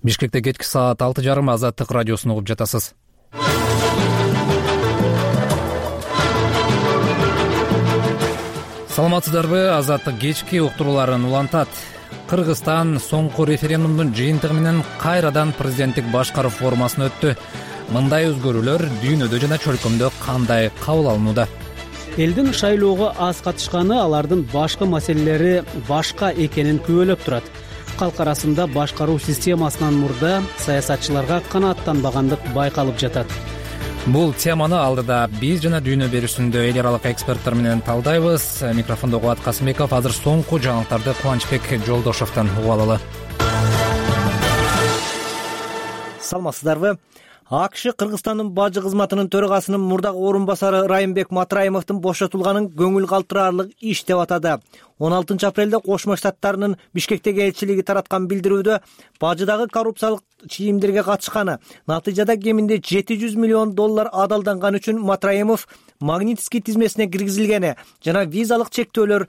Бишкекте кечки саат 6:30 Азаттык радиосун угуп жатасыз. Саламатсыздарбы? Азаттык кечки уктурууларын улантат. Кыргызстан соңку референдумдун жыйынтыгы менен кайрадан президенттик башкаруу формасына өттү. Мындай өзгөрүүлөр дүйнөдө жана чөлкөмдө кандай кабыл алынууда? Элдин шайлоого аз катышканы алардын башкы маселелери башка экенин күбөлөп турат. Калк арасында башкаруу системасынан мурда саясатчыларга канааттанбагандык байкалып жатат. Бул теманы алдыда биз жана дүйнө берүүсүндө эл аралык эксперттер менен талдайбыз. Микрофондо Кубат Касымбеков. Азыр соңку жаңылыктарды Кубанычбек Жолдошовдон угуп алалы. Саламатсыздарбы? АКШ Кыргызстандын бажы кызматынын төрагасынын мурдагы орун басары Райымбек Матраимовдун бошотулганын көңүл калтыраарлык иш деп атады. 16 апрелде Кошмо Штаттарынын Бишкектеги элчилиги тараткан билдирүүдө бажыдагы коррупциялык чийимдерге катышканы, натыйжада кеминде $700 миллион адалданган үчүн Матраимов Магнитский тизмесине киргизилгени жана визалык чектөөлөр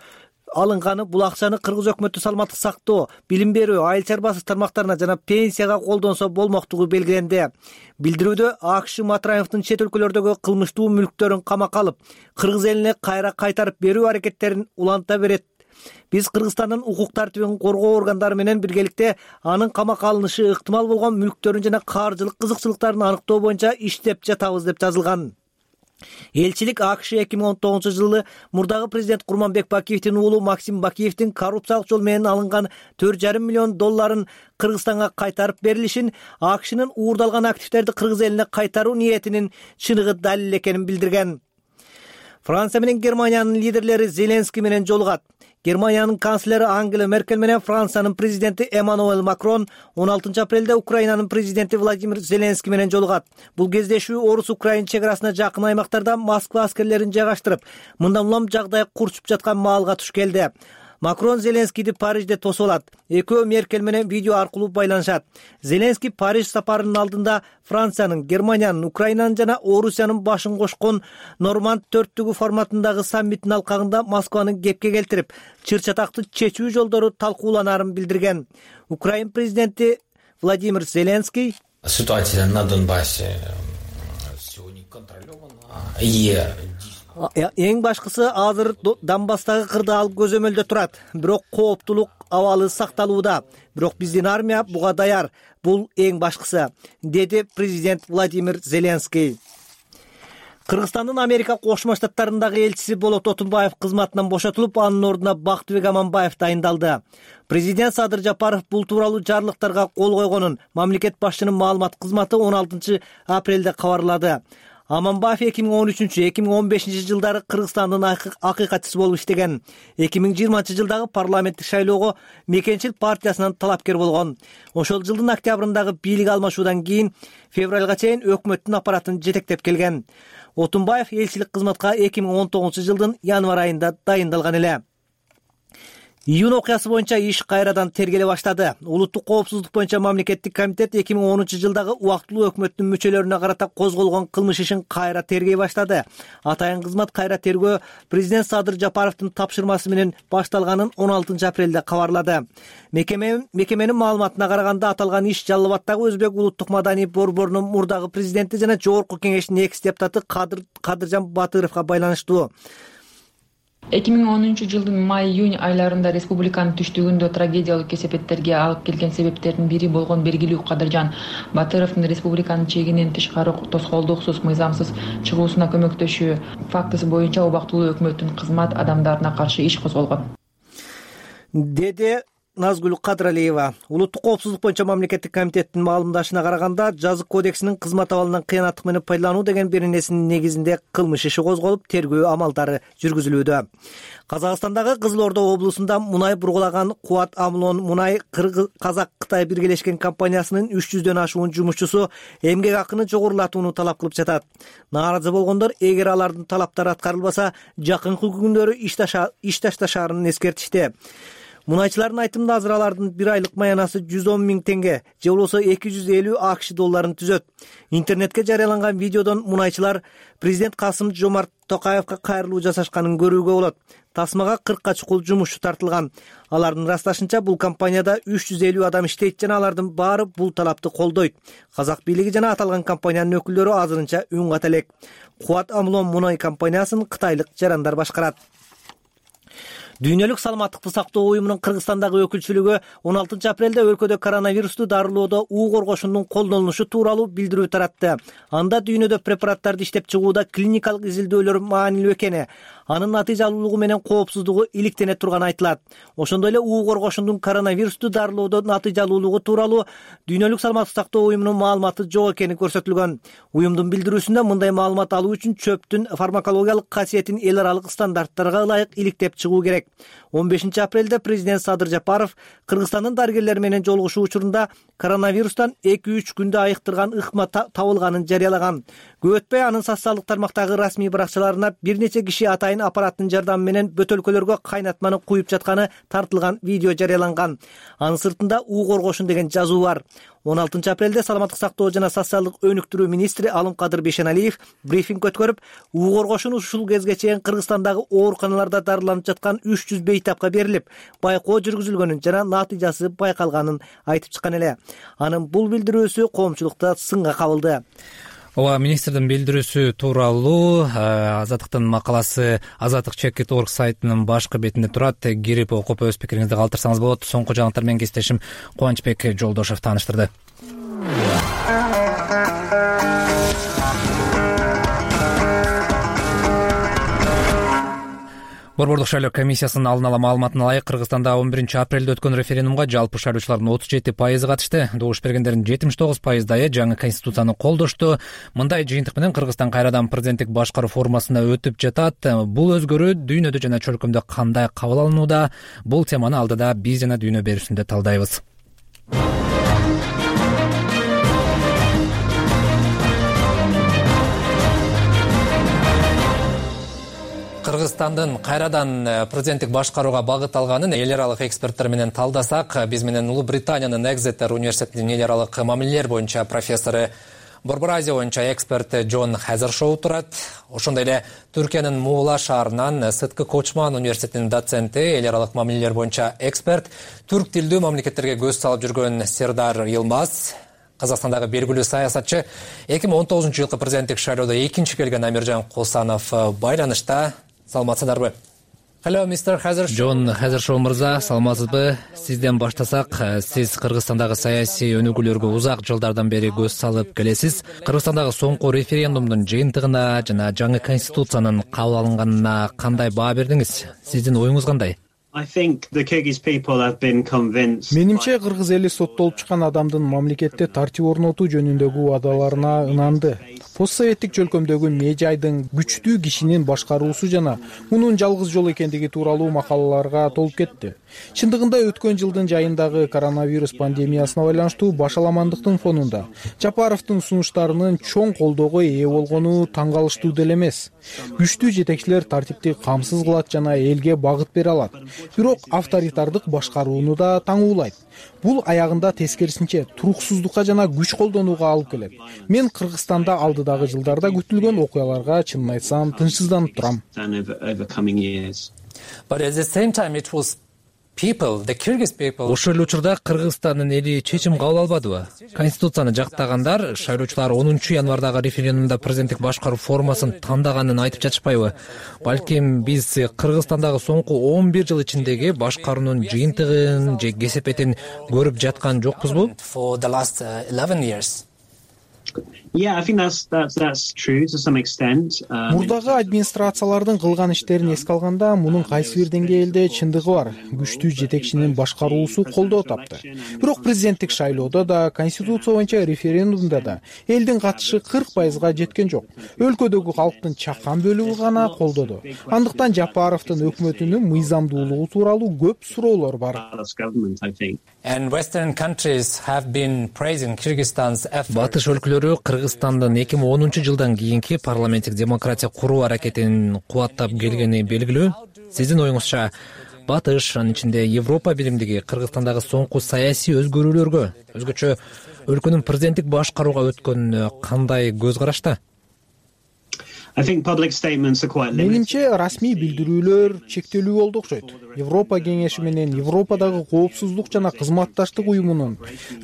алынганы, бул акчаны кыргыз өкмөтү саламаттык сактоо, билим берүү, айыл чарбасы тармактарына жана пенсияга колдонсо болмоктугу белгиленди. Билдирүүдө АКШ Матраимовдун чет өлкөлөрдөгү кылмыштуу мүлктөрүн камакка алып, кыргыз элине кайра кайтарып берүү аракеттерин уланта берет. Биз Кыргызстандын укук тартибин коргоо органдары менен биргеликте анын камакка алынышы ыктымал болгон мүлктөрүн жана каржылык кызыкчылыктарын аныктоо боюнча иштеп жатабыз деп жазылган. Элчилик АКШ 2019-жылы мурдагы президент Курманбек Бакиевдин уулу Максим Бакиевдин коррупциялык жол менен алынган $4,5 миллион Кыргызстанга кайтарып берилишин, АКШнын уурдалган активдерди кыргыз элине кайтаруу ниетинин чыныгы далил экенин билдирген. Франция менен Германиянын лидерлери Зеленский менен жолугат. Германиянын канцлери Ангела Меркель менен Франциянын президенти Эммануэль Макрон 16 апрелде Украинанын президенти Владимир Зеленский менен жолугат. Бул кездешүү Орус-Украин чек арасына жакын аймактарда Москва аскерлерин жайгаштырып, мындан улам жагдай курчуп жаткан маалга туш келди. Макрон Зеленскийди Парижде тосуп алат. Экөө Меркель менен видео аркылуу байланышат. Зеленский Париж сапарынын алдында Франциянын, Германиянын, Украинанын жана Орусиянын башын кошкон Норманд 4 форматындагы саммиттин алкагында Москваны кепке келтирип, чыр-чатакты чечүү жолдору талкууланаарын билдирген. Украин президенти Владимир Зеленский ситуация на Донбассе сегодня контролирована. Эң башкысы азыр Донбасстагы кырдаал көзөмөлдө турат. Бирок кооптулук абалы сакталууда. Бирок биздин армия буга даяр. Бул эң башкысы, деди президент Владимир Зеленский. Кыргызстандын Америка Кошмо Штаттарындагы элчиси Болот Отунбаев кызматынан бошотулуп, анын ордуна Бактыбек Аманбаев дайындалды. Президент Садыр Жапаров бул тууралуу жарлыктарга кол койгонун мамлекет башчынын маалымат кызматы 16 апрелде кабарлады. Аманбаев 2013-2015 жылдары Кыргызстандын акыйкатчысы болуп иштеген. 2020 жылдагы парламенттик шайлоого Мекенчил партиясынан талапкер болгон. Ошол жылдын октябрындагы бийлик алмашуудан кийин февралга чейин өкмөттүн аппаратын жетектеп келген. Отунбаев элчилик кызматка 2019 жылдын январь айында дайындалган эле. Июнь окуясы боюнча иш кайрадан тергеле баштады. Улуттук коопсуздук боюнча мамлекеттик комитет 2010 жылдагы убактылуу өкмөттүн мүчөлөрүнө карата козголгон кылмыш ишин кайра тергей баштады. Атайын кызмат кайра тергөө президент Садыр Жапаровдун тапшырмасы менен башталганын 16 апрелде кабарлады. Мекеменин маалыматына караганда аталган иш Жалал Абаддагы Өзбек улуттук маданий борборунун мурдагы президенти жана жогорку кеңештин экс-депутаты Кадыржан Батыровго байланыштуу. 2010 жылдын май-июнь айларында республиканын түштүгүндө трагедиялык кесепеттерге алып келген себептердин бири болгон белгилүү Кадыржан Батыровдун республиканын чегинен тышкары тоскоолдуксуз мыйзамсыз чыгуусуна көмөктөшүү фактысы боюнча убактылуу өкмөттүн кызмат адамдарына каршы иш козголгон, деди Назгүл Кадыралиева. Улуттук коопсуздук боюнча мамлекеттик комитеттин маалымдашына караганда, жазык кодексинин кызмат абалынан кыянаттык менен пайдалануу деген беренесинин негизинде кылмыш иши козголуп, тергөө амалдары жүргүзүлүүдө. Казакстандагы Кызыл Ордо облусунда мунай бургулаган Кубат Амлон мунай Казак-Кытай биргелешкен компаниясынын 300дөн ашуун жумушчусу эмгек акыны жогорулатууну талап кылып жатат. Нааразы болгондор эгер алардын талаптары аткарылбаса, жакынкы күндөрү иш ташташаарын эскертишти. Мунайчылардын айтымында азыр алардын бир айлык маянасы 110 000 тенге же болбосо 250 АКШ долларын түзөт. Интернетке жарыяланган видеодон мунайчылар президент Касым-Жомарт Токаевга кайрылуу жасашканын көрүүгө болот. Тасмага 40 чукул жумушчу тартылган. Алардын ырасташынча бул компанияда 350 адам иштейт жана алардын баары бул талапты колдойт. Казак бийлиги жана аталган компаниянын өкүлдөрү азырынча үн ката элек. Кубат Амлон мунай компаниясын кытайлык жарандар башкарат. Дүйнөлүк саламаттыкты сактоо уюмунун Кыргызстандагы өкүлчүлүгү 16 апрелде өлкөдө коронавирусту дарылоодо уу коргошундун колдонулушу тууралуу билдирүү таратты. Анда дүйнөдө препараттарды иштеп чыгууда клиникалык изилдөөлөр маанилүү экени, анын натыйжалуулугу менен коопсуздугу иликтене турганы айтылат. Ошондой эле уу коргошундун коронавирусту дарылоодо натыйжалуулугу тууралуу дүйнөлүк саламаттыкты сактоо уюмунун маалыматы жок экени көрсөтүлгөн. Уюмдун билдирүүсүндө мындай маалымат алуу үчүн чөптүн фармакологиялык касиетин эл аралык стандарттарга ылайык иликтеп чыгуу керек. 15 апрелде президент Садыр Жапаров Кыргызстандын дарыгерлери менен жолугушуу учурунда коронавирустан 2-3 күндө айыктырган ыкма табылганын жарыялаган. Көп өтпөй анын социалдык тармактагы расмий баракчаларына бир нече киши атайын аппараттын жардамы менен бөтөлкөлөргө кайнатманы куюп жатканы тартылган видео жарыяланган. Анын сыртында уу коргошун деген жазуу бар. 16 апрелде саламаттык сактоо жана социалдык өнүктүрүү министри Алымкадыр Бейшеналиев брифинг өткөрүп, уу коргошун ушул кезге чейин Кыргызстандагы ооруканаларда дарыланып жаткан 300 бейтапка берилип, байкоо жүргүзүлгөнүн жана натыйжасы байкалганын айтып чыккан эле. Анын бул билдирүүсү коомчулукта сынга кабылды. Ооба, министрдин билдирүүсү тууралуу Азаттыктын макаласы Azattik.org сайтынын башкы бетинде турат. Кирип окуп өз пикириңизди калтырсаңыз болот. Соңку жаңылыктар менен кесиптешим Кубанычбек Жолдошев тааныштырды. Борбордук шайлоо комиссиясынын алдын ала маалыматына ылайык Кыргызстанда 11 апрелде өткөн референдумга жалпы шайлоочулардын 37% катышты. Добуш бергендердин 79% жаңы конституцияны колдошту. Мындай жыйынтык менен Кыргызстан кайрадан президенттик башкаруу формасына өтүп жатат. Бул өзгөрүү дүйнөдө жана чөлкөмдө кандай кабыл алынууда? Бул теманы алдыда биз жана дүйнө берүүсүндө талдайбыз. Кыргызстандын кайрадан президенттик башкарууга багыт алганын эл аралык эксперттер менен талдасак, биз менен Улуу Британиянын Экзетер университетинин эл аралык мамилелер боюнча профессору, Борбор Азия боюнча эксперт Джон Хезершоу турат. Ошондой эле Түркиянын Муула шаарынан Сыткы Кочман университетинин доценти, эл аралык мамилелер боюнча эксперт, түрк тилдүү мамлекеттерге көз салып жүргөн Сердар Йылмаз, Казакстандагы белгилүү саясатчы, 2019 жылкы президенттик шайлоодо экинчи келген Амиржан Косанов байланышта. Саламатсыздарбы? Hello, Mr. Хезершоу. Джон Хезершоу мырза, саламатсызбы? Сизден баштасак, сиз Кыргызстандагы саясий өнүгүүлөргө узак жылдардан бери көз салып келесиз. Кыргызстандагы соңку референдумдун жыйынтыгына жана жаңы конституциянын кабыл алынганына кандай баа бердиңиз? Сиздин оюңуз кандай? Менимче кыргыз эли соттолуп чыккан адамдын мамлекетте тартип орнотуу жөнүндөгү убадаларына ынанды. Постсоветтик чөлкөмдөгү мейжайдын күчтүү кишинин башкаруусу жана мунун жалгыз жол экендиги тууралуу макалаларга толуп кетти. Чындыгында өткөн жылдын жайындагы коронавирус пандемиясына байланыштуу башаламандыктын фонунда Жапаровдун сунуштарынын чоң колдоого ээ болгону таң калыштуу деле эмес. Күчтүү жетекчилер тартипти камсыз кылат жана элге багыт бере алат. Бирок авторитардык башкарууну да таңуулайт. Бул аягында тескерисинче туруксуздукка жана күч колдонууга алып келет. Мен Кыргызстанда алдыдагы жылдарда күтүлгөн окуяларга чынын айтсам тынчсызданып турам. Ошол эле учурда Кыргызстандын эли чечим кабыл албадыбы? Конституцияны жактагандар шайлоочулар 10 январдагы референдумда президенттик башкаруу формасын тандаганын айтып жатышпайбы? Балким биз Кыргызстандагы соңку 11 жыл ичиндеги башкаруунун жыйынтыгын же кесепетин көрүп жаткан жокпузбу? Мурдагы администрациялардын кылган иштерин эске алганда, мунун кайсы бир деңгээлде чындыгы бар. Күчтүү жетекчинин башкаруусу колдоо тапты. Бирок президенттик шайлоодо да, конституция боюнча референдумда да элдин катышы 40%га жеткен жок. Өлкөдөгү калктын чакан бөлүгү гана колдоду. Андыктан Жапаровдун өкмөтүнүн мыйзамдуулугу тууралуу көп суроолор бар. Батыш өлкөлөрү Кыргызстандын 2010 жылдан кийинки парламенттик демократия куруу аракетин кубаттап келгени белгилүү. Сиздин оюңузча, батыш, анын ичинде Европа биримдиги Кыргызстандагы соңку саясий өзгөрүүлөргө, өзгөчө өлкөнүн президенттик башкарууга өткөнүнө кандай көз карашта? Менимче расмий билдирүүлөр чектелүү болду окшойт. Европа кеңеши менен Европадагы коопсуздук жана кызматташтык уюмунун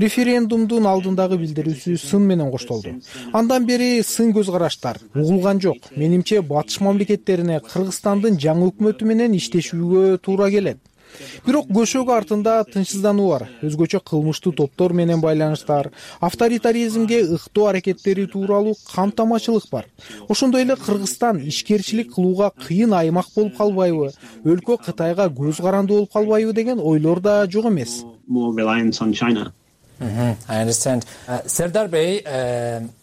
референдумдун алдындагы билдирүүсү сын менен коштолду. Андан бери сын көз караштар угулган жок. Менимче батыш мамлекеттерине Кыргызстандын жаңы өкмөтү менен иштешүүгө туура келет. Бирок көшөгө артында тынчсыздануу бар. Өзгөчө кылмыштуу топтор менен байланыштар, авторитаризмге ыктоо аракеттери тууралуу камтамачылык бар. Ошондой эле Кыргызстан ишкерчилик кылууга кыйын аймак болуп калбайбы, өлкө Кытайга көз каранды болуп калбайбы деген ойлор да жок эмес. Сердар Бey,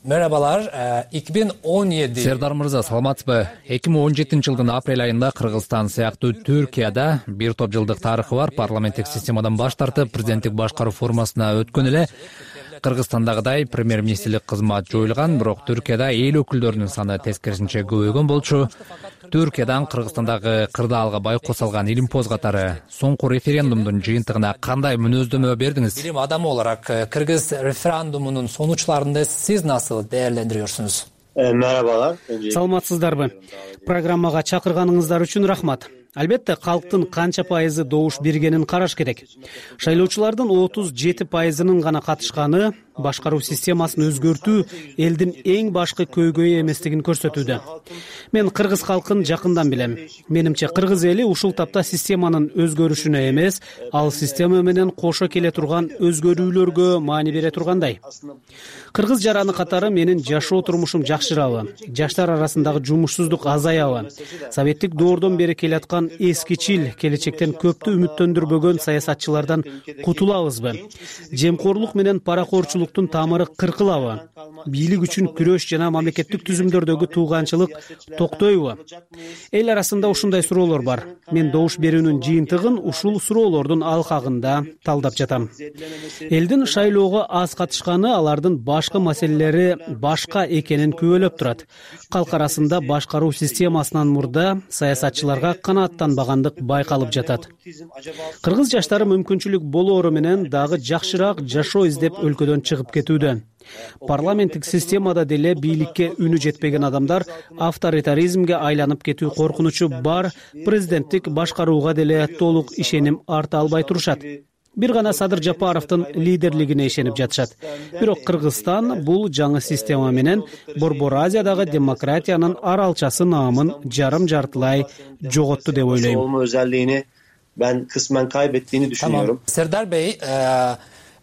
merhabalar. 2017 Сердар мырза, саламатсызбы? 2017-жылдын апрель айында Кыргызстан сыяктуу Түркияда бир топ жылдык тарыхы бар парламенттик системадан баш тартып, президенттик башкаруу формасына өткөн эле. Кыргызстандагыдай премьер-министрлик кызмат жоюлган, бирок Түркияда эл өкүлдөрүнүн саны тескерисинче көбөйгөн болчу. Түркиядан Кыргызстандагы кырдаалга байкоо салган Илимпоз катары соңку референдумдун жыйынтыгына кандай мүнөздөмө бердиңиз? Билим адамы olarak Кыргыз референдумунун сонучларын сиз насыл değerlendiriyorsunuz? Merhabalar. Саламатсыздарбы? Программага чакырганыңыздар үчүн рахмат. Албетте, калктын канча пайызы добуш бергенин караш керек. Шайлоочулардын 37%-ынын гана катышканы башкаруу системасын өзгөртүү элдин эң башкы көйгөйү эместигин көрсөтүүдө. Мен кыргыз калкын жакындан билем. Менимче кыргыз эли ушул тапта системанын өзгөрүшүнө эмес, ал система менен кошо келе турган өзгөрүүлөргө маани бере тургандай. Кыргыз жараны катары менин жашоо турмушум жакшырабы, жаштар арасындагы жумушсуздук азаябы, советтик доордон бери келаткан эскичил келечектен көптү үмүттөндүрбөгөн саясатчылардан кутулабызбы, жемкорлук менен паракорчулуктун тамыры кыркылабы, бийлик үчүн күрөш жана мамлекеттик түзүмдөрдөгү тууганчылык токтойбу? Эл арасында ушундай суроолор бар. Мен добуш берүүнүн жыйынтыгын ушул суроолордун алкагында талдап жатам. Элдин шайлоого аз катышканы алардын башкы маселелери башка экенин күбөлөп турат. Калк арасында башкаруу системасынан мурда саясатчыларга канааттанбагандык байкалып жатат. Кыргыз жаштары мүмкүнчүлүк болоору менен дагы жакшыраак жашоо издеп өлкөдөн чыгып кетүүдө. Парламенттик системада деле бийликке үнү жетпеген адамдар авторитаризмге айланып кетүү коркунучу бар, президенттик башкарууга деле толук ишеним арта албай турушат. Бир гана Садыр Жапаровдун лидерлигине ишенип жатышат. Бирок Кыргызстан бул жаңы система менен Борбор Азиядагы демократиянын аралчасы наамын жарым-жартылай жоготту деп ойлойм. Olma özelliğini ben kısmen kaybettiğini düşünüyorum. Serdar Bey,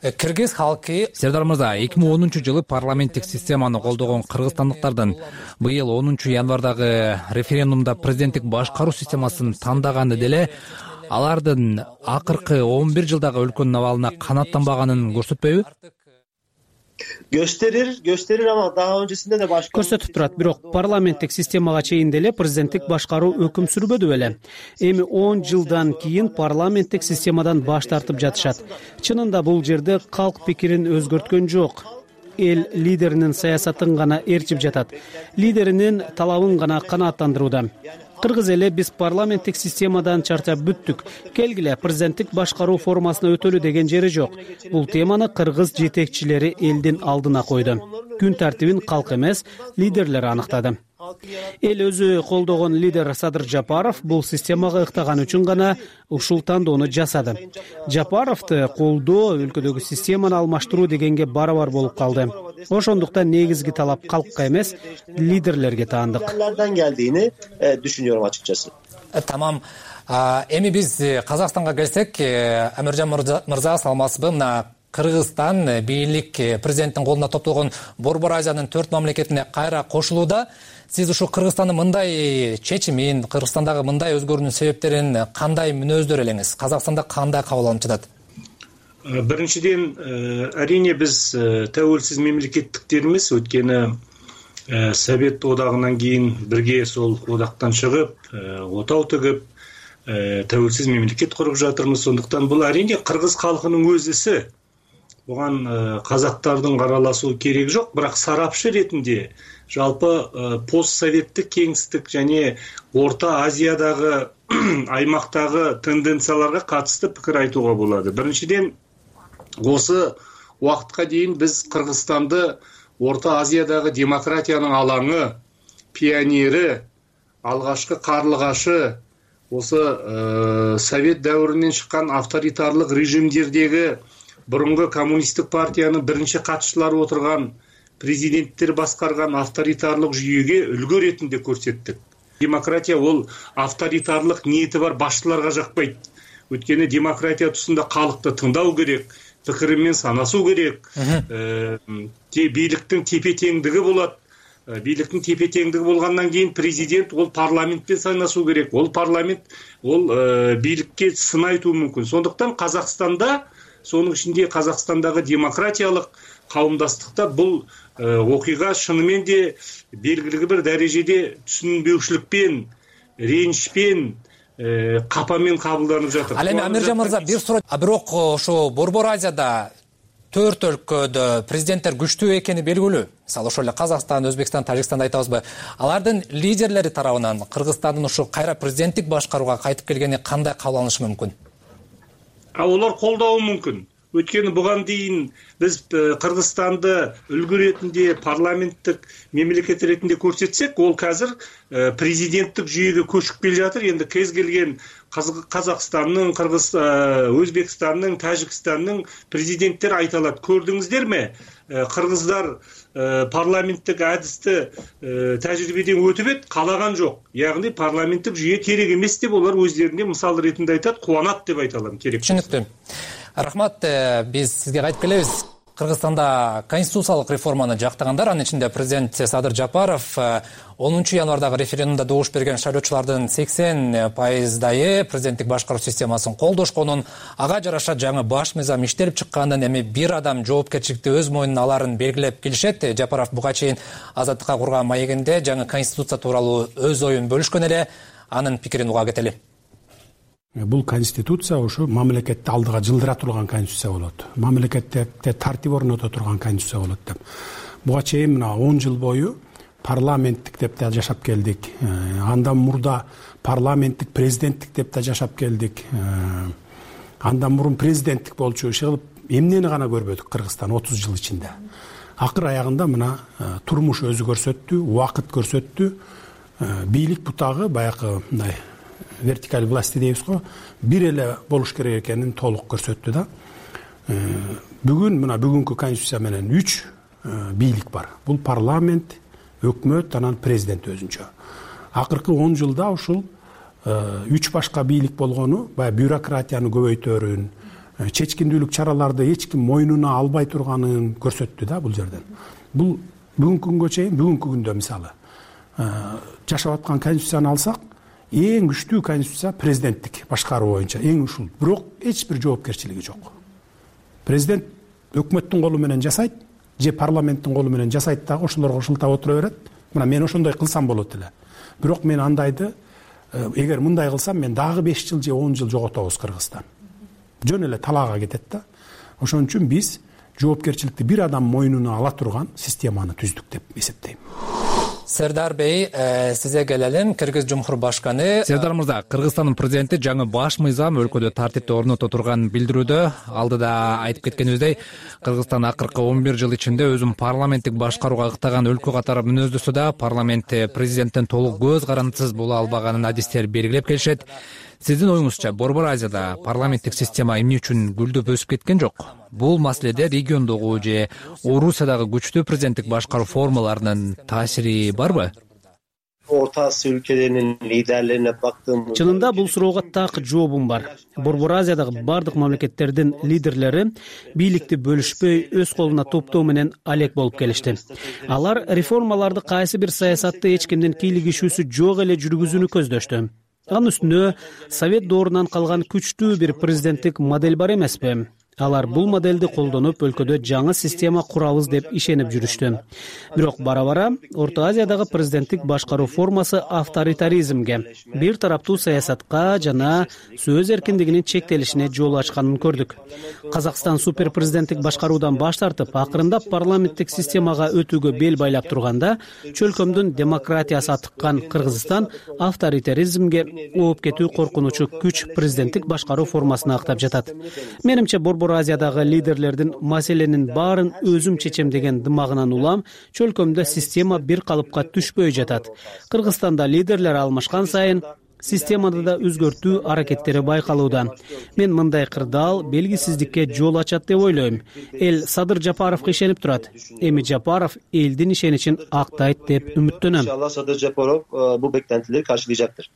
Кыргыз халкы Сердар мырза, 2010-жылы парламенттик системаны колдогон кыргызстандыктардын быйыл 10-январдагы референдумда президенттик башкаруу системасын тандаганы деле алардын акыркы 11 жылдагы өлкөнүн абалына канааттанбаганын көрсөтпөйбү? Gösterir ama daha öncesinde de başka көрсөтүп турат. Бирок парламенттик системага чейин деле президенттик башкаруу өкүм сүрбөдү беле. Эми 10 жылдан кийин парламенттик системадан баш тартып жатышат. Чынында бул жерде калк пикирин өзгөрткөн жок. Эл лидеринин саясатын гана ээрчип жатат. Лидеринин талабын гана канааттандырууда. Кыргыз эле биз парламенттик системадан чарчап бүттүк. Келгиле президенттик башкаруу формасына өтөлү деген жери жок. Бул теманы кыргыз жетекчилери элдин алдына койду. Күн тартибин калк эмес, лидерлер аныктады. Эл өзү колдогон лидер Садыр Жапаров бул системага ыктаган үчүн гана ушул тандоону жасады. Жапаровду колдоо өлкөдөгү системаны алмаштыруу дегенге барабар болуп калды. Ошондуктан негизги талап калкка эмес, лидерлерге таандык. geldiğini düşünüyorum açıkçası. Tamam. Эми биз Казакстанга келсек, Амиржан мырза, саламатсызбы? Мына Кыргызстан бийлик президенттин колуна топтолгон Борбор Азиянын 4 мамлекетине кайра кошулууда. Сиз ушул Кыргызстандын мындай чечимин, Кыргызстандагы мындай өзгөрүүнүн себептерин кандай мүнөздөр элеңиз? Казакстанда кандай кабыл алынып жатат? Биринчиден, әрине биз тәуелсиз мемлекеттиктермиз, өткені Совет одагынан кийин бирге сол одактан чыгып, отау төгүп, тәуелсиз мемлекет куруп жатырмыз. Сондуктан бул әрине кыргыз калкынын өз иши. Буган казактардын аралашуу кереги жок, бирок сарапчы ретинде жалпы постсоветтик кеңистик және Орта Азиядагы аймактагы тенденцияларга катысты пикир айтууга болот. Биринчиден, осы убакытка чейин биз Кыргызстанды Орто Азиядагы демократиянын алаңы, пионери, алгачкы карлыгашы, осы Совет дәуірінен шыққан авторитарлық режимдердегі бұрынғы коммунистік партияның бірінші қатысушылары отырған президенттер басқарған авторитарлық жүйеге үлгі ретінде көрсеттік. Демократия ол авторитарлық ниеті бар басшыларға жақпайды. Өйткені демократия тұсында халықты тыңдау керек, пікірімен санасу керек, биліктің тепе-теңдігі болады. Бийликтин тепе-теңдиги болгондон кийин президент ол парламентпен сайнашуу керек. Ол парламент ол бийликке сын айтуу мүмкүн. Сондуктан Казакстанда, сонун ичинде Казакстандагы демократиялык кауымдастыкта бул окуйга шынымен де белгилүү бир дарежеде түшүнбөүчүлүкпен, реничпен, капамен кабылданып жатыр. Ал эми Амиржан мырза, бир суроо. Бирок ошо Борбор Азияда 4 өлкөдө президенттер күчтүү экени белгилүү. Мисалы ошол эле Казакстан, Өзбекстан, Тажикстанды айтабызбы? Алардын лидерлери тарабынан Кыргызстандын ушу кайра президенттик башкарууга кайтып келгени кандай кабыл алынышы мүмкүн? Олар колдоо мүмкүн. Өйткені бұған дейін біз Қырғызстанды үлгі ретінде парламенттік мемлекет ретінде көрсетсек, ол қазір президенттік жүйеге көшіп келе жатыр. Енді кез келген Қазақстанның, Өзбекстанның, Тәжікстанның президенттер айталады. Көрдіңіздер ме? Қырғыздар парламенттік әдісті тәжірибеден өтіп еді, қалаған жоқ. Яғни парламенттік жүйе керек емес деп олар өздерінде мысал ретінде айтады, қуанат деп айталам керек. Түсінікті. Рахмат, биз сизге кайтып келебиз. Кыргызстанда конституциялык реформаны жактагандар, анын ичинде президент Садыр Жапаров 10 январдагы референдумда добуш берген шайлоочулардын 80% президенттик башкаруу системасын колдошконун, ага жараша жаңы баш мыйзам иштелип чыкканын, эми бир адам жоопкерчиликти өз мойнуна аларын белгилеп келишет. Жапаров буга чейин Азаттыкка курган маегинде жаңы конституция тууралуу өз оюн бөлүшкөн эле. Анын пикирин уга кетели. Бул конституция ошо мамлекетти алдыга жылдыра турган конституция болот. Мамлекетте тартип орното турган конституция болот деп. Буга чейин мына 10 жыл бою парламенттик деп да жашап келдик. Андан мурда парламенттик, президенттик деп да жашап келдик. Андан мурун президенттик болчу иши эмнени гана көрбөдүк Кыргызстан 30 жыл ичинде. Акыр аягында мына турмуш өзү көрсөттү, убакыт көрсөттү. Бийлик бутагы баягы мындай вертикаль власти дейбиз го, бир эле болуш керек экенин толук көрсөттү да. Бүгүн мына бүгүнкү конституция менен 3 бийлик бар. Бул парламент, өкмөт, анан президент өзүнчө. Акыркы 10 жылда ушул 3 башка бийлик болгону баягы бюрократияны көбөйтөрүн, чечкиндүүлүк чараларды эч ким мойнуна албай турганын көрсөттү да бул жерден. Бул бүгүнкү күнгө чейин, бүгүнкү күндө мисалы жашап аткан конституцияны алсак, эң күчтүү конституция президенттик башкаруу боюнча эң ушул. Бирок эч бир жоопкерчилиги жок. Президент өкмөттүн колу менен жасайт, же парламенттин колу менен жасайт дагы ошолорго шылтап отура берет. Мына мен ошондой кылсам болот эле. Бирок мен андайды эгер мындай кылсам мен дагы 5 жыл же 10 жыл жоготобуз Кыргызстан. Жөн эле талаага кетет да. Ошон үчүн биз жоопкерчиликти бир адам мойнуна ала турган системаны түздүк деп эсептейм. Сердар Бей, сизе келелим. Кыргыз Жумхур башканы. Сердар мырза, Кыргызстандын президенти жаңы баш мыйзам өлкөдө тартипти орното турганын билдирүүдө. Алдыда айтып кеткенибиздей, Кыргызстан акыркы 11 жыл ичинде өзүн парламенттик башкарууга ыктаган өлкө катары мүнөздүсү да парламент президенттен толук көз карандысыз боло албаганын адистер белгилеп келишет. Сиздин оюңузча, Борбор Азияда парламенттик система эмне үчүн гүлдөп өсүп кеткен жок? Бул маселеде региондогу же Орусиядагы күчтүү президенттик башкаруу формаларынын таасири барбы? Орто Азия өлкөлөрүнүн лидерлерине бактым. Чынында бул суроого так жообум бар. Борбор Азиядагы бардык мамлекеттердин лидерлери бийликти бөлүшпөй өз колуна топтоо менен алек болуп келишти. Алар реформаларды кайсы бир саясатты эч кимдин кийлигишүүсү жок эле жүргүзүүнү көздөштү. Анын үстүнө Совет доорунан калган күчтүү бир президенттик модель бар эмеспи? Алар бул моделди колдонуп өлкөдө жаңы система курабыз деп ишенип жүрүштү. Бирок бара-бара Орто Азиядагы президенттик башкаруу формасы авторитаризмге, бир тараптуу саясатка жана сөз эркиндигинин чектелишине жол ачканын көрдүк. Казакстан супер президенттик башкаруудан баш тартып, акырындап парламенттик системага өтүүгө бел байлап турганда, чөлкөмдүн демократиясы атыккан Кыргызстан авторитаризмге ооп кетүү коркунучу күч президенттик башкаруу формасына актап жатат. Менимче Борбор Азиядагы лидерлердин маселенин баарын өзүм чечем деген дымагынан улам чөлкөмдө система бир калыпка түшпөй жатат. Кыргызстанда лидерлер алмашкан сайын системада да өзгөртүү аракеттери байкалууда. Мен мындай кырдаал белгисиздикке жол ачат деп ойлойм. Эл Садыр Жапаровго ишенип турат. Эми Жапаров элдин ишеничин актайт деп үмүттөнөм. Иншалла Садыр Жапаров бул бектентилерди каршылайжактыр.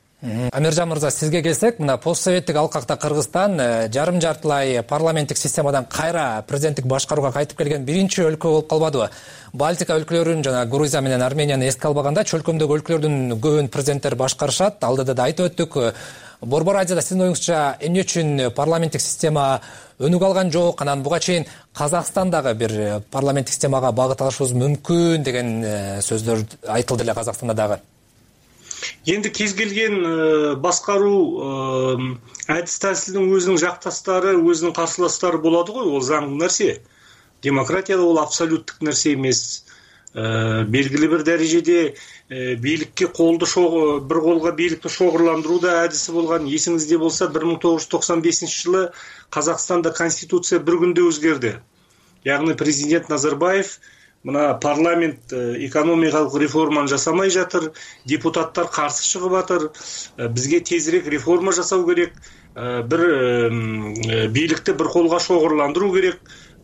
Амиржан мырза, сизге келсек, мына постсоветтик алкакта Кыргызстан жарым-жартылай парламенттик системадан кайра президенттик башкарууга кайтып келген биринчи өлкө болуп калбадыбы? Балтика өлкөлөрүн жана Грузия менен Арменияны эске албаганда чөлкөмдөгү өлкөлөрдүн көбүн президенттер башкарышат. Алдыда да айтып өттүк. Борбор Азияда сиздин оюңузча эмне үчүн парламенттик система өнүгө алган жок? Анан буга чейин Казакстандагы бир парламенттик системага багыт алышыбыз мүмкүн деген сөздөр айтылды эле Казакстанда дагы. Енді кез келген басқару әдіс тәсілдің өзінің жақтастары, өзінің қарсыластары болады ғой, ол заңды нәрсе. Демократияда ол абсолюттік нәрсе емес. Белгілі бір дәрежеде билікке бір қолға билікті шоғырландыру да әдісі болған. Есіңізде болса, 1995 жылы Қазақстанда конституция бір күнде өзгерді. Яғни президент Назарбаев мына парламент экономикалык реформаны жасамай жатыр, депутаттар каршы чыгып атыр. Бизге тезирээк реформа жасау керек, бир бийликти бир колго шоғырландыруу керек.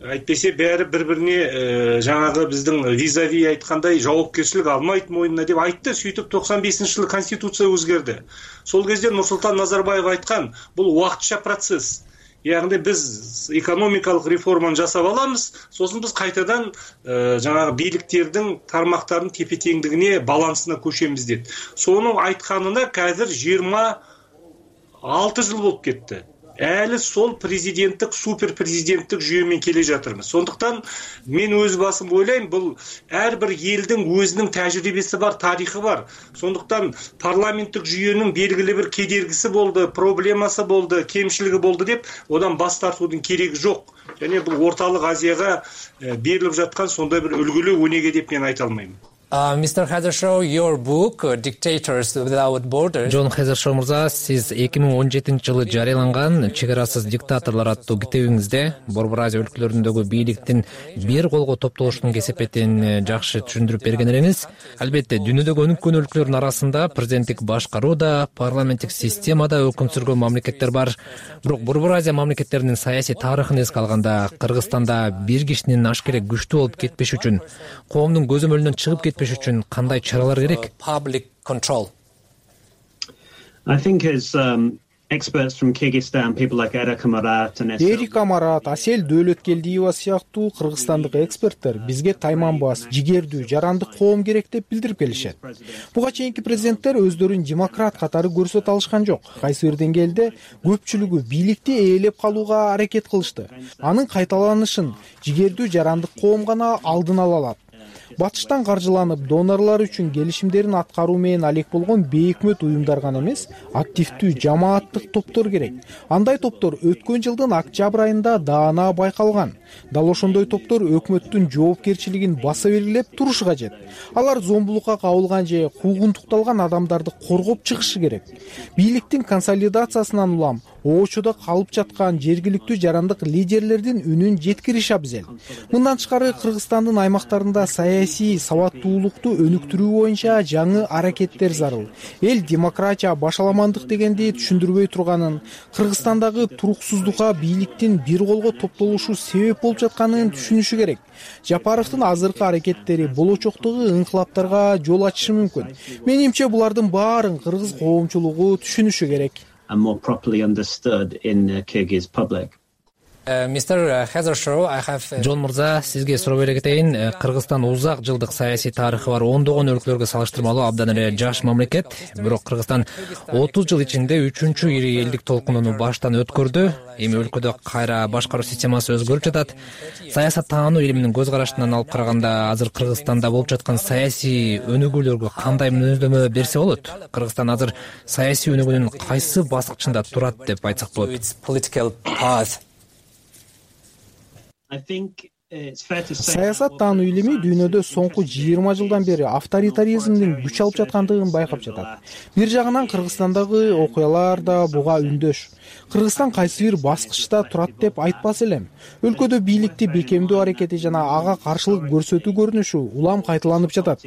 Айтпесе бәрі бір-біріне жаңағы біздің визави айткандай жауапкершілік алмайды мойнына деп айтты. Сөйтіп 95 жылы конституция өзгерді. Сол кезде Нұрсұлтан Назарбаев айтқан, бұл уақытша процесс. Яғни біз экономикалық реформаны жасап аламыз, сосын біз қайтадан жаңағы биліктердің тармақтардың тепе-теңдігіне, балансына көшеміз деді. Соны айтқанына қазір 26 жыл болып кетті. Әлі сол президенттік, супер президенттік жүйемен келе жатырмыз. Сондықтан мен өз басым ойлаймын, бұл әрбір елдің өзінің тәжірибесі бар, тарихы бар. Сондықтан парламенттік жүйенің белгілі бір кедергісі болды, проблемасы болды, кемшілігі болды деп, одан бас тартудың керегі жоқ. Және бұл орталық Азияға беріліп жатқан сондай бір үлгілі өнеге деп мен айта алмаймын. Mr. Hazershaw, your book, Dictators Without Borders. Джон Хезершоу мырза, сиз 2017 жылы жарыяланган «Чегарасыз диктаторлор» аттуу китебиңизде Борбор Азия өлкөлөрүндөгү бийликтин бир колго топтолушунун кесепетин жакшы түшүндүрүп берген элеңиз. Албетте, дүйнөдөгү өнүккөн өлкөлөрдүн арасында президенттик башкаруу да, парламенттик система да өкүм сүргөн мамлекеттер бар. Бирок Борбор Азия мамлекеттеринин саясий тарыхын эске алганда, Кыргызстанда бир кишинин ашкере күчтүү болуп кетпеш үчүн, коомдун көзөмөлүнөн чыгып кетпеш үчүн кандай чаралар керек? Public control. I think as experts from Kyrgyzstan, people like Эрик Амарат, Асель Дөөлөткелдиева сыяктуу кыргызстандык эксперттер бизге тайманбас, жигердүү, жарандык коом керек деп билдирип келишет. Буга чейинки президенттер өздөрүн демократ катары көрсөтө алышкан жок. Кайсы бир деңгээлде көпчүлүгү бийликти ээлеп калууга аракет кылышты. Анын кайталанышын жигердүү жарандык коом гана алдын ала алат. Батыштан каржыланып, донорлор үчүн келишимдерин аткаруу менен алек болгон бейөкмөт уюмдар гана эмес, активдүү жамааттык топтор керек. Андай топтор өткөн жылдын октябрь айында даана байкалган. Дал ошондой топтор өкмөттүн жоопкерчилигин баса белгилеп турушу кажет. Алар зомбулукка кабылган же куугунтукталган адамдарды коргоп чыгышы керек. Бийликтин консолидациясынан улам оочодо калып жаткан жергиликтүү жарандык лидерлердин үнүн жеткириш абзел. Мындан тышкары Кыргызстандын аймактарында саясий сабаттуулукту өнүктүрүү боюнча жаңы аракеттер зарыл. Эл демократия, башаламандык дегенди түшүндүрбөй турганын, Кыргызстандагы туруксуздукка бийликтин бир колго топтолушу себеп болуп жатканын түшүнүшү керек. Жапаровдун азыркы аракеттери болочоктогу инкылаптарга жол ачышы мүмкүн. Менимче булардын баарын кыргыз коомчулугу түшүнүшү керек. And more properly understood in the Kyrgyz public. Жон мырза, сизге суроо бере кетейин. Кыргызстан узак жылдык саясий тарыхы бар ондогон өлкөлөргө салыштырмалуу абдан эле жаш мамлекет. Бирок Кыргызстан 30 жыл ичинде 3-чү ири элдик толкунуну баштан өткөрдү. Эми өлкөдө кайра башкаруу системасы өзгөрүп жатат. Саясат таануу илиминин көз карашынан алып караганда, азыр Кыргызстанда болуп жаткан саясий өнүгүүлөргө кандай мүнөздөмө берсе болот? Кыргызстан азыр саясий өнүгүүнүн кайсы баскычында турат деп айтсак болот? Саясат таануу илими дүйнөдө соңку 20 жылдан бери авторитаризмдин күч алып жаткандыгын байкап жатат. Бир жагынан Кыргызстандагы окуялар да буга үндөш. Кыргызстан кайсы бир баскычта турат деп айтпас элем. Өлкөдө бийликти бекемдөө аракети жана ага каршылык көрсөтүү көрүнүшү улам кайталанып жатат.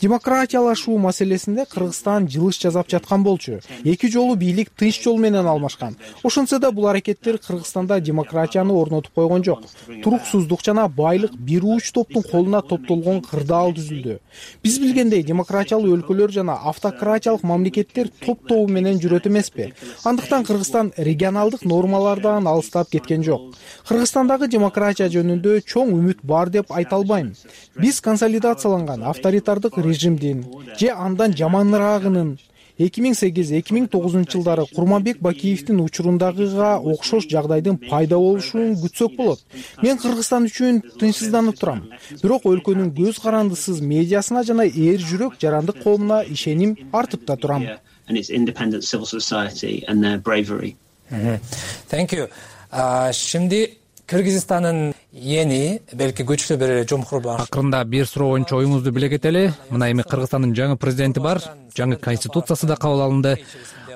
Демократиялашуу маселесинде Кыргызстан жылыш жасап жаткан болчу. Эки жолу бийлик тынч жол менен алмашкан. Ошентсе да бул аракеттер Кыргызстанда демократияны орнотуп койгон жок. Туруксуздук жана байлык бир уч топтун колуна топтолгон кырдаал түзүлдү. Биз билгендей, демократиялуу өлкөлөр жана автократиялык мамлекеттер топ-тобу менен жүрөт эмеспи? Андыктан Кыргызстан регионалдык нормалардан алыстап кеткен жок. Кыргызстандагы демократия жөнүндө чоң үмүт бар деп айта албайм. Биз консолидацияланган авторитардык режимдин же андан жаманыраагынын 2008-2009 жылдары Курманбек Бакиевдин учурундагыга окшош жагдайдын пайда болушун күтсөк болот. Мен Кыргызстан үчүн тынчсызданып турам. Бирок өлкөнүн көз карандысыз медиасына жана эр жүрөк жарандык коомуна ишеним артып да турам. Şimdi Кыргызстандын yeni, belki güçlü bir cumhurbaşkanı. Акырында бир суроо боюнча оюңузду биле кетели. Мына эми Кыргызстандын жаңы президенти бар, жаңы конституциясы да кабыл алынды.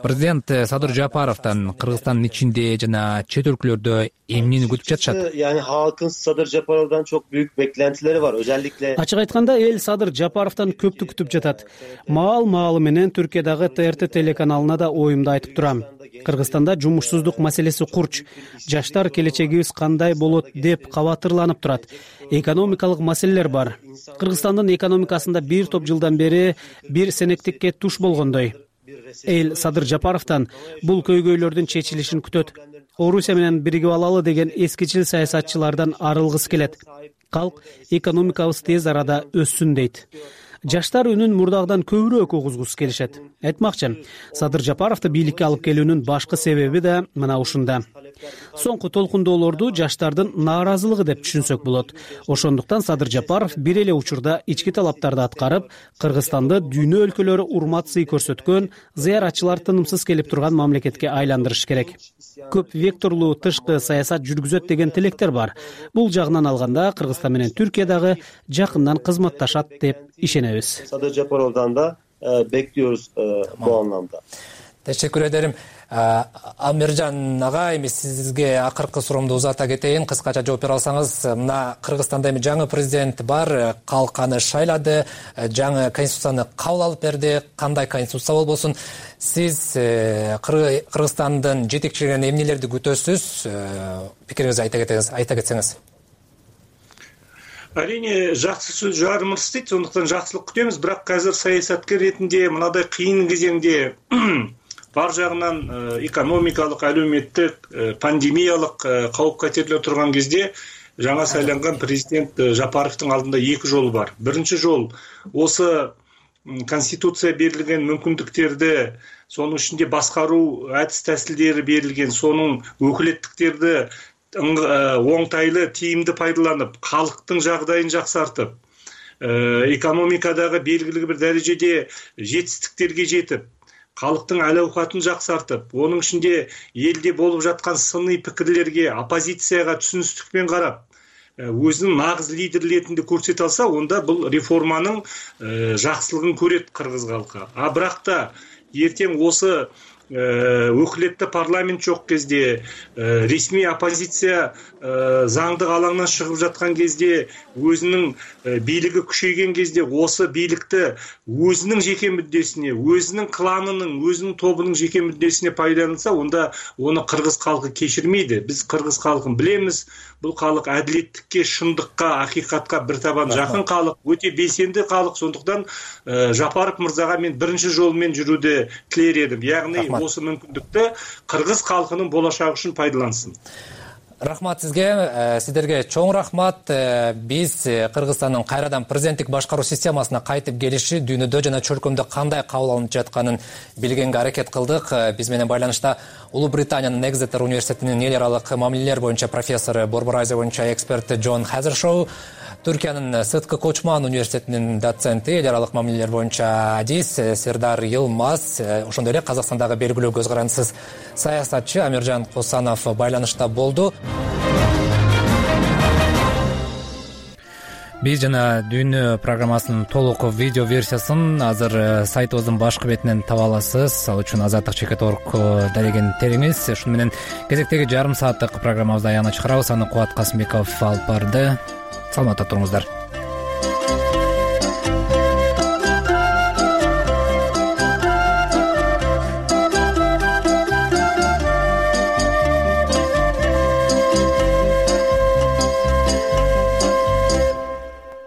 Президент Садыр Жапаровдон Кыргызстандын ичинде жана чет өлкөлөрдө эмнени күтүп жатышат? Yani halkın Sadır Japarov'dan çok büyük beklentileri var. Özellikle Ачык айтканда, эл Садыр Жапаровдон көптү күтүп жатат. Маал менен Түркиядагы ТРТ телеканалына да оюмду айтып турам. Кыргызстанда жумушсуздук маселеси курч. Жаштар келечегибиз кандай болот деп кабатырланып турат. Экономикалык маселелер бар. Кыргызстандын экономикасында бир топ жылдан бери бир сенектикке туш болгондой. Эл Садыр Жапаровдон бул көйгөйлөрдүн чечилишин күтөт. Орусия менен биригип алалы деген эскичил саясатчылардан арылгысы келет. Калк экономикабыз тез арада өссүн дейт. Жаштар үнүн мурдагыдан көбүрөөк угузгусу келишет. Айтмакчы, Садыр Жапаровду бийликке алып келүүнүн башкы себеби да мына ушунда. Соңку толкундоолорду жаштардын нааразылыгы деп түшүнсөк болот. Ошондуктан Садыр Жапаров бир эле учурда ички талаптарды аткарып, Кыргызстанды дүйнө өлкөлөрү урмат-сый көрсөткөн, зыяратчылар тынымсыз келип турган мамлекетке айландырыш керек. Көп векторлуу тышкы саясат жүргүзөт деген тилектер бар. Бул жагынан алганда Кыргызстан менен Түркия дагы жакындан кызматташат деп ишенебиз. Sadır Japarov'dan da bekliyoruz bu anlamda. Teşekkür ederim. Амиржан ага, эми сизге акыркы суроомду узата кетейин, кыскача жооп бере алсаңыз. Мына Кыргызстанда эми жаңы президент бар, калк аны шайлады, жаңы конституцияны кабыл алып берди. Кандай конституция болбосун, сиз Кыргызстандын жетекчилигинен эмнелерди күтөсүз? Пикириңизди айта кетсеңиз. Әрине жақсы сөз жарымырс дейді, сондықтан жақсылық күтеміз, бірақ қазір саясаткер ретінде мынадай қиын кезеңде бар жағынан экономикалық, әлеуметтік, пандемиялық қауіп қатерлер тұрған кезде жаңа сайланған президент Жапаровтың алдында екі жол бар. Бірінші жол осы конституция берілген мүмкіндіктерді, соның ішінде басқару әдіс тәсілдері берілген, соның өкілеттіктерді оңтайлы, тиімді пайдаланып, халықтың жағдайын жақсартып, экономикадағы белгілі бір дәрежеде жетістіктерге жетіп, халықтың әл-ауқатын жақсартып, оның ішінде елде болып жатқан сыни пікірлерге, оппозицияға түсіністікпен қарап, өзінің нағыз лидер ретінде көрсете алса, онда бұл реформаның жақсылығын көреді қырғыз халқы. Бірақ та ертең осы өкілетті парламент жоқ кезде, ресми оппозиция заңдық алаңнан шығып жатқан кезде, өзінің билігі күшейген кезде, осы билікті өзінің жеке мүддесіне, өзінің кланының, өзінің тобының жеке мүддесіне пайдаланса, онда оны қырғыз халқы кешірмейді. Біз қырғыз халқын білеміз. Бұл халық әділеттікке, шындыққа, ақиқатқа бір табан жақын халық, өте белсенді халық. Сондықтан Жапаров мырзаға мен бірінші жолмен жүруді тілер едім. Яғни осы мүмкіндікті қырғыз халқының болашағы үшін пайдалансын. Рахмат сизге. Сиздерге чоң рахмат. Биз Кыргызстандын кайрадан президенттик башкаруу системасына кайтып келиши дүйнөдө жана чөлкөмдө кандай кабыл алынып жатканын билгенге аракет кылдык. Биз менен байланышта Улуу Британиянын Экзетер университетинин эл аралык мамилелер боюнча профессору, Борбор Азия боюнча эксперти Джон Хазершоу, Түркиянын Сыткы Кочман университетинин доценти, эл аралык мамилелер боюнча адис Сердар Йылмаз, ошондой эле Казакстандагы белгилүү көз карандысыз саясатчы Амиржан Косанов байланышта болду. Биз жана дүйнө программасынын толук видео версиясын азыр сайтыбыздын башкы бетинен таба аласыз. Ал үчүн azadlik.org дарегин териңиз. Ушуну менен кезектеги жарым сааттык программабызды аягына чыгарабыз. Аны Кубат Касымбеков алып барды. Саламатта туруңуздар.